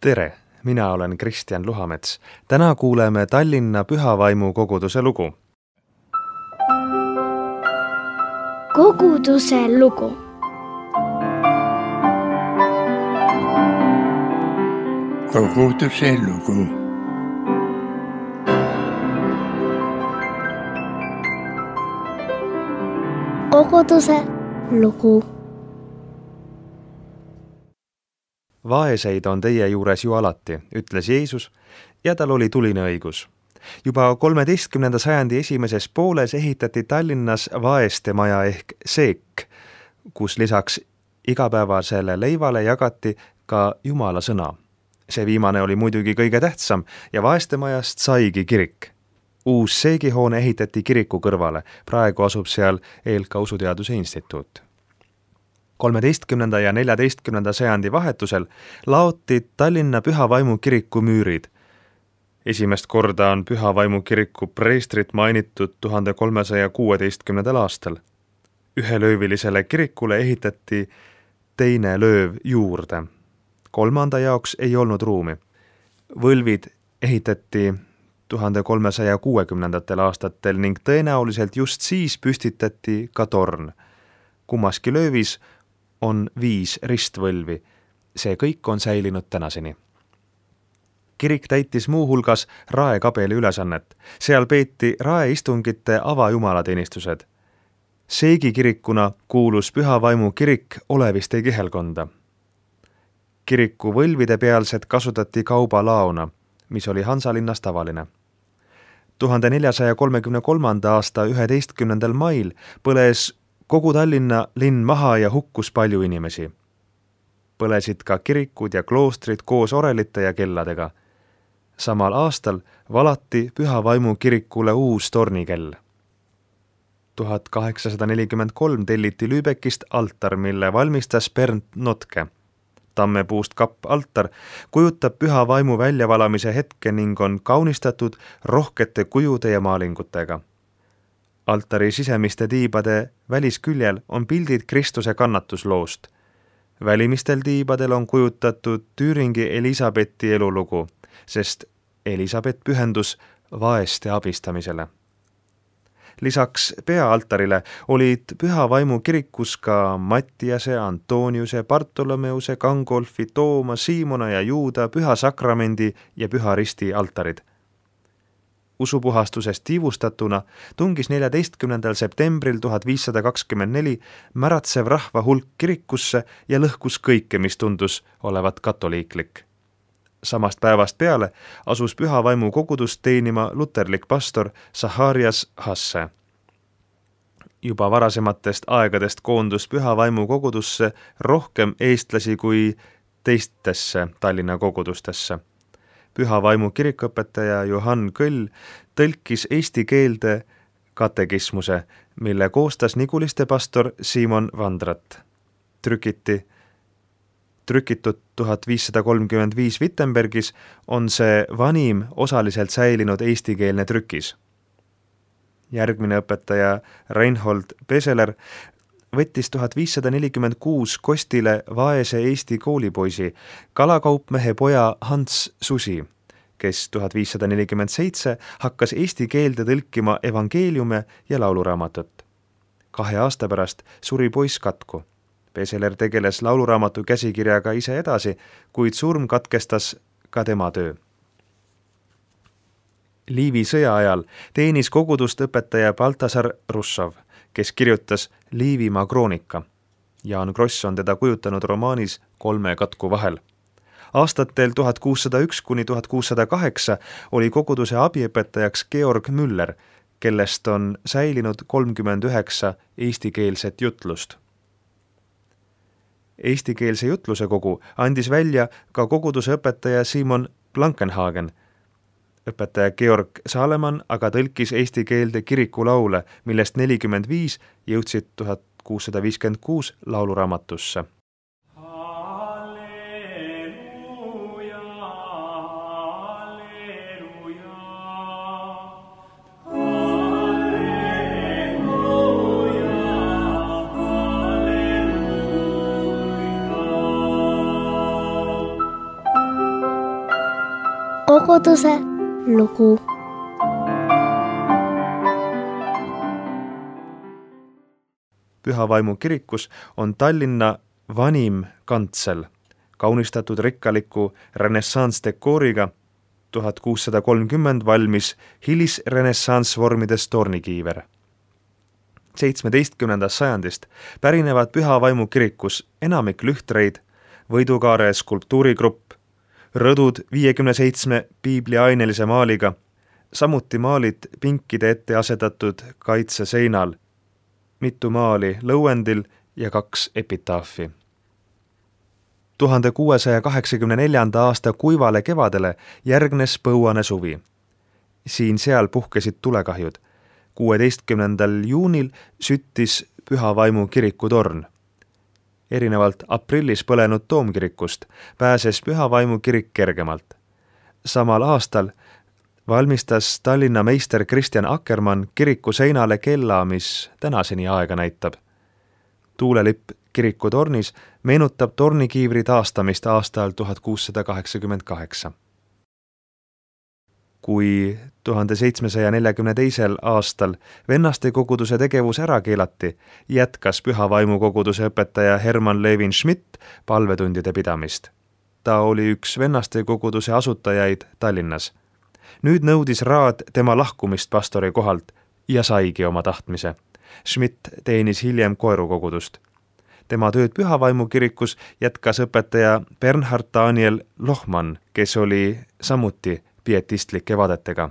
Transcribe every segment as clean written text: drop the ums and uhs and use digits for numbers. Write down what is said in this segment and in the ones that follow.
Tere, mina olen Kristjan Luhamets. Täna kuuleme Tallinna Pühavaimu koguduse lugu. Koguduse lugu. Koguduse lugu. Koguduse lugu. Vaeseid on teie juures ju alati, ütles Jeesus, ja tal oli tuline õigus. Juba 13. sajandi esimeses pooles ehitati Tallinnas vaeste maja ehk seek, kus lisaks igapäevasele leivale jagati ka Jumala sõna. See viimane oli muidugi kõige tähtsam ja vaeste majast saigi kirik. Uus seegihoone ehitati kiriku kõrvale, praegu asub seal EELK Usuteaduse Instituut. 13. ja 14. sajandi vahetusel laoti Tallinna Pühavaimu kiriku müürid. Esimest korda on Pühavaimu kiriku preestrit mainitud 1316. aastal. Ühelöövilisele kirikule ehitati teine lööv juurde. Kolmanda jaoks ei olnud ruumi. Võlvid ehitati 1360. aastatel ning tõenäoliselt just siis püstitati ka torn. Kummaski löövis on 5 ristvõlvi. See kõik on säilinud tänaseni. Kirik täitis muu hulgas raekabeli ülesannet. Seal peeti raeistungite avajumalateenistused. Seegikirikuna kuulus Pühavaimu kirik Oleviste kihelkonda. Kiriku võlvide pealsed kasutati kaubalaona, mis oli Hansalinnas tavaline. 1433. aasta 11. mail põles kogu Tallinna linn maha ja hukkus palju inimesi. Põlesid ka kirikud ja kloostrid koos orelite ja kelladega. Samal aastal valati Pühavaimu kirikule uus tornikell. 1843 telliti Lübeckist altar, mille valmistas Bernt Notke. Tammepuust kapp altar kujutab Pühavaimu väljavalamise hetke ning on kaunistatud rohkete kujude ja maalingutega. Altari sisemiste tiibade välisküljel on pildid Kristuse kannatusloost. Välimistel tiibadel on kujutatud Tüüringi Elisabethi elulugu, sest Elisabeth pühendus vaeste abistamisele. Lisaks peaaltarile olid Pühavaimu kirikus ka Mattiase, Antoniuse, Bartolomeuse, Gangolfi, Tooma, Siimona ja Juuda, Püha Sakramendi ja Püha Risti altarid. Usupuhastusest tiivustatuna tungis 14. septembril 1524 märatsev rahva hulk kirikusse ja lõhkus kõike, mis tundus olevat katoliiklik. Samast päevast peale asus Pühavaimu kogudust teenima luterlik pastor Zacharias Hasse. Juba varasematest aegadest koondus Pühavaimu kogudusse rohkem eestlasi kui teistesse Tallinna kogudustesse. Pühavaimu kirikuõpetaja Johann Kõll tõlkis eesti keelde katekismuse, mille koostas Niguliste pastor Simon Vandrat. Trükitud 1535 Wittenbergis on see vanim osaliselt säilinud eestikeelne trükis. Järgmine õpetaja Reinhold Peseler võttis 1546 kostile vaese Eesti koolipoisi, kalakaupmehe poja Hans Susi, kes 1547 hakkas eesti keelde tõlkima evangeeliume ja lauluraamatut. 2 aasta pärast suri poiss katku. Peseler tegeles lauluraamatu käsikirjaga ise edasi, kuid surm katkestas ka tema töö. Liivi sõja ajal teenis kogudust õpetaja Baltasar Russov, kes kirjutas Liivimaa kroonika. Jaan Kross on teda kujutanud romaanis 3 katku vahel. Aastatel 1601 kuni 1608 oli koguduse abiõpetajaks Georg Müller, kellest on säilinud 39 eestikeelset jutlust. Eestikeelse jutluse kogu andis välja ka koguduse õpetaja Simon Blankenhagen. Õpetaja Georg Saalemann aga tõlkis eesti keelde kirikulaule, millest 45 jõudsid 1656 lauluraamatusse. koguduse lugu. Püha Vaimu kirikus on Tallinna vanim kantsel, kaunistatud rikkaliku renessanssdekooriga. 1630 valmis hilisrenessanssvormides tornikiiver. 17. sajandist pärinevad Püha Vaimu kirikus enamik lühtreid, võidukaare skulptuurigrupp, rõdud 57 piibliainelise maaliga, samuti maalid pinkide ette asetatud kaitseseinal, mitu maali lõuendil ja 2 epitaafi. 1684. aasta kuivale kevadele järgnes põuane suvi. Siin-seal puhkesid tulekahjud. 16. juunil süttis Püha Vaimu kiriku torn. Erinevalt aprillis põlenud toomkirikust pääses Püha Vaimu kirik kergemalt. Samal aastal valmistas Tallinna meister Kristjan Akkermann kiriku seinale kella, mis tänaseni aega näitab. Tuulelipp kiriku tornis meenutab tornikiivri taastamist aastal 1688. Kui 1742. aastal vennaste koguduse tegevus ära keelati, jätkas Püha Vaimu koguduse õpetaja Hermann Levin Schmidt palvetundide pidamist. Ta oli üks vennaste koguduse asutajaid Tallinnas. Nüüd nõudis raad tema lahkumist pastori kohalt ja saigi oma tahtmise. Schmidt teenis hiljem Koeru kogudust. Tema tööd Püha Vaimu kirikus jätkas õpetaja Bernhard Daniel Lohmann, kes oli samuti pietistlike vaadetega.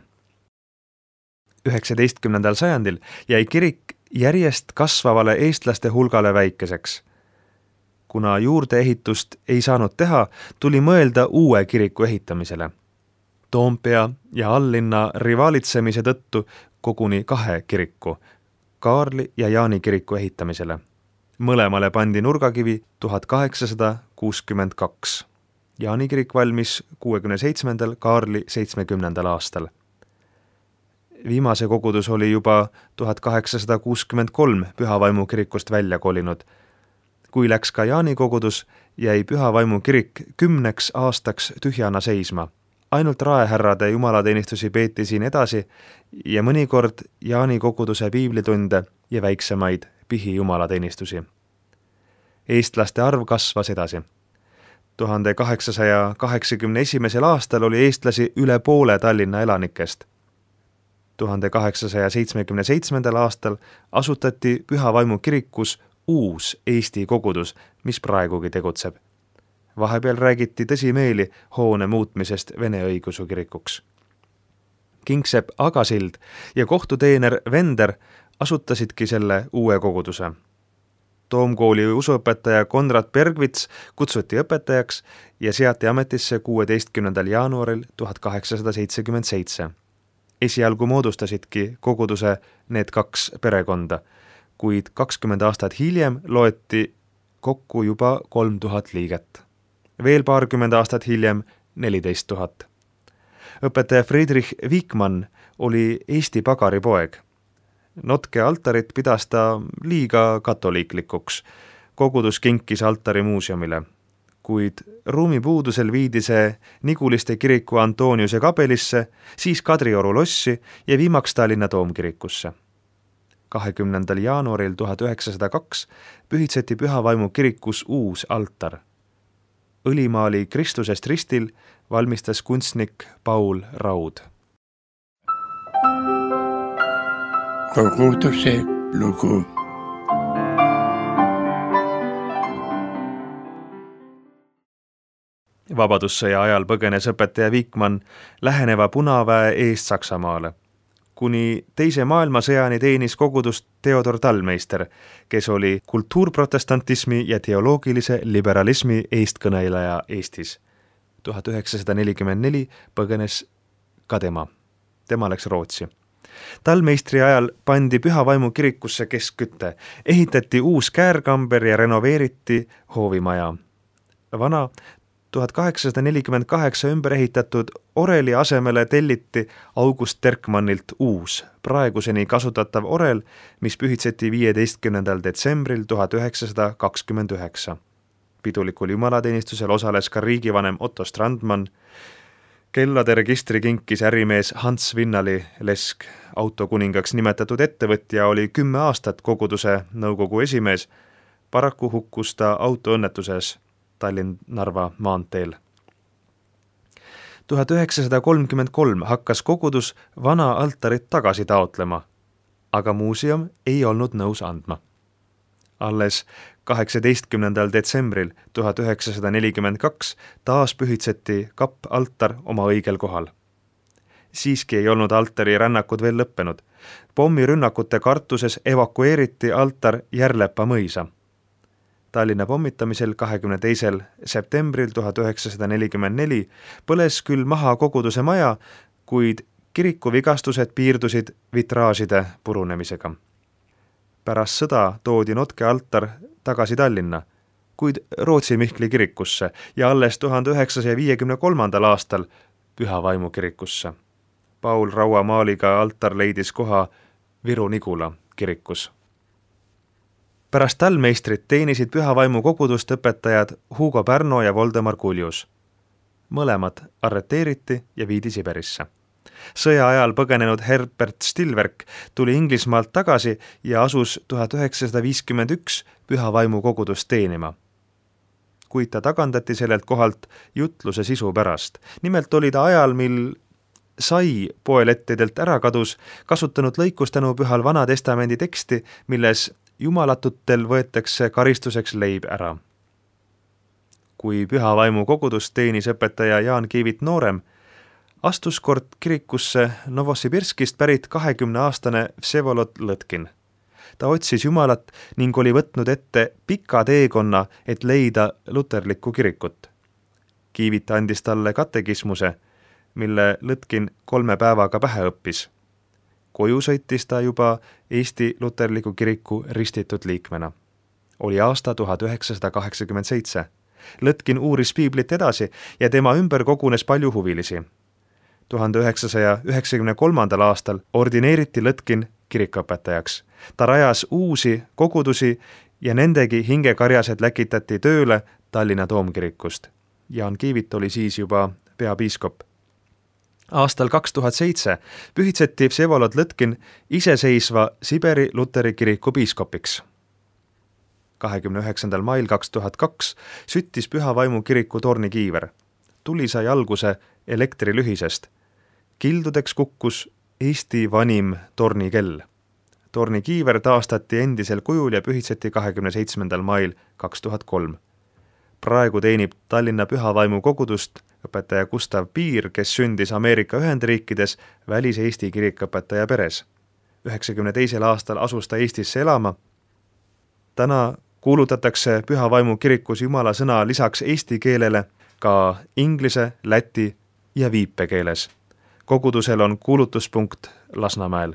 19. sajandil jäi kirik järjest kasvavale eestlaste hulgale väikeseks. Kuna juurdeehitust ei saanud teha, tuli mõelda uue kiriku ehitamisele. Toompea ja Alllinna rivaalitsemise tõttu koguni 2 kiriku, Kaarli ja Jaani kiriku ehitamisele. Mõlemale pandi nurgakivi 1862. Jaani kirik valmis 67., Kaarli 70. aastal. Viimase kogudus oli juba 1863 Püha Vaimu kirikust välja kolinud. Kui läks ka Jaani kogudus, jäi Püha Vaimu kirik 10 aastaks tühjana seisma. Ainult raehärrade jumalateenistusi peeti siin edasi ja mõnikord Jaani koguduse piiblitunde ja väiksemaid pihijumalateenistusi. Eestlaste arv kasvas edasi. 1881. aastal oli eestlasi üle poole Tallinna elanikest. 1877. aastal asutati Püha Vaimu kirikus uus Eesti kogudus, mis praegugi tegutseb. Vahepeal räägiti tõsimeeli hoone muutmisest Vene õigeusu kirikuks. Kingsepp Agasild ja kohtuteener Vender asutasidki selle uue koguduse. Toomkooli usuõpetaja Konrad Bergvits kutsuti õpetajaks ja seati ametisse 16. jaanuaril 1877. Esialgu moodustasidki koguduse need 2 perekonda, kuid 20 aastat hiljem loeti kokku juba 3000 liiget. Veel paarkümmend aastat hiljem 14 000. Õpetaja Friedrich Wigmann oli Eesti pagaripoeg. Notke altarit pidas ta liiga katoliiklikuks. Kogudus kinkis altari muuseumile. Kuid ruumipuudusel viidi see Niguliste kiriku Antoniuse kapelisse, siis Kadrioru lossi ja viimaks Tallinna toomkirikusse. 20. jaanuaril 1902 pühitseti Püha Vaimu kirikus uus altar. Õlimaali Kristusest ristil valmistas kunstnik Paul Raud. Koguduse lugu. Vabadussõja ajal põgenes õpetaja Wigmann läheneva punaväe eest Saksamaale. Kuni teise maailmasõjani teenis kogudust Theodor Tallmeister, kes oli kultuurprotestantismi ja teoloogilise liberalismi eestkõneleja Eestis. 1944 põgenes ka tema. Tema läks Rootsi. Tallmeistri ajal pandi Püha Vaimu kirikusse keskküte, ehitati uus käärkamber ja renoveeriti hoovimaja. Vana 1848 ümber ehitatud oreli asemele telliti August Terkmannilt uus, praeguseni kasutatav orel, mis pühitseti 15. detsembril 1929. Pidulikul jumalateenistusel osales ka riigivanem Otto Strandmann. Kellade registri kinkis ärimees Hans Vinnali Lesk. Autokuningaks nimetatud ettevõtja oli 10 aastat koguduse nõukogu esimees. Paraku hukkus ta autoõnnetuses Tallinn-Narva maanteel. 1933 hakkas kogudus vana altarit tagasi taotlema, aga muuseum ei olnud nõus andma. Alles 18. detsembril 1942 taas pühitseti kapp-altar oma õigel kohal. Siiski ei olnud altari rännakud veel lõppenud. Pommirünnakute kartuses evakueeriti altar Järlepa mõisa. Tallinna pommitamisel 22. septembril 1944 põles küll maha koguduse maja, kuid kiriku vigastused piirdusid vitraažide purunemisega. Pärast sõda toodi notke altar tagasi Tallinna, kuid Rootsi Mihkli kirikusse ja alles 1953. aastal Püha Vaimu kirikusse. Paul Raua maaliga altar leidis koha Viru-Nigula kirikus. Pärast tallmeistrit teenisid Püha Vaimu kogudust õpetajad Hugo Pärno ja Voldemar Kuljus. Mõlemad arreteeriti ja viidi Siberisse. Sõja ajal põgenenud Herbert Stilwerk tuli Inglismaalt tagasi ja asus 1951 Püha Vaimu kogudust teenima. Kuid ta tagandati sellelt kohalt jutluse sisu pärast. Nimelt oli ta ajal, mil sai poelettidelt ära kadus, kasutanud lõikust tänu Pühal Vana Testamendi teksti, milles jumalatutel võetakse karistuseks leib ära. Kui Püha Vaimu kogudust teenis õpetaja Jaan Kiivit noorem, astus kord kirikusse Novosibirskist pärit 20-aastane Vsevolod Lõtkin. Ta otsis Jumalat ning oli võtnud ette pika teekonna, et leida luterlikku kirikut. Kiivit andis talle katekismuse, mille Lõtkin 3 päevaga pähe õppis. Koju sõitis ta juba Eesti luterliku kiriku ristitud liikmena. Oli aasta 1987. Lõtkin uuris piiblit edasi ja tema ümber kogunes palju huvilisi. 1993. aastal ordineeriti Lõtkin kirikuõpetajaks. Ta rajas uusi kogudusi ja nendegi hingekarjased läkitati tööle Tallinna Toomkirikust. Jaan Kiivit oli siis juba peapiiskop. Aastal 2007 pühitseti Vsevolod Lõtkin iseseisva Siberi luteri kiriku piiskopiks. 29. mail 2002 süttis Püha Vaimu kiriku tornikiiver. Tuli sai alguse elektrilühisest. Kildudeks kukkus Eesti vanim tornikell. Tornikiiver taastati endisel kujul ja pühitseti 27. mail 2003. Praegu teenib Tallinna Püha Vaimu kogudust õpetaja Gustav Piir, kes sündis Ameerika Ühendriikides välis-Eesti kirikõpetaja peres. 92. aastal asus ta Eestisse elama. Täna kuulutatakse Püha Vaimu kirikus Jumala sõna lisaks eesti keelele ka inglise, läti ja viipekeeles. Kogudusel on kuulutuspunkt Lasnamäel.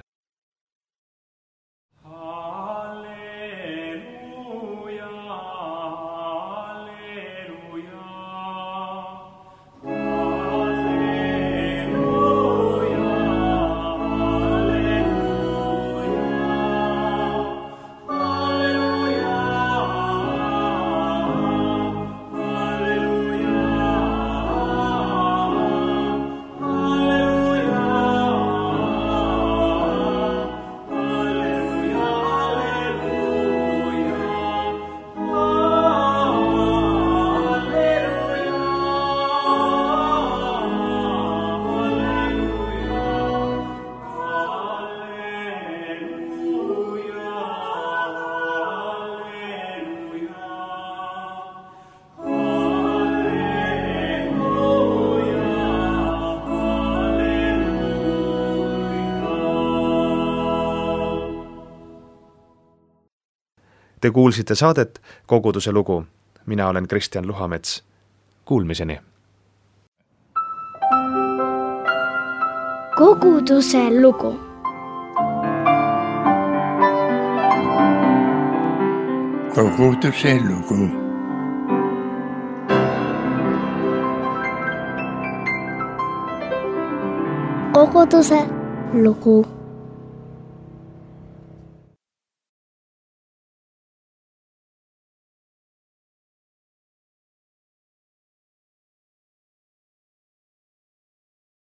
Te kuulsite saadet Koguduse lugu. Mina olen Kristjan Luhamets. Kuulmiseni. Koguduse lugu. Koguduse lugu. Koguduse lugu.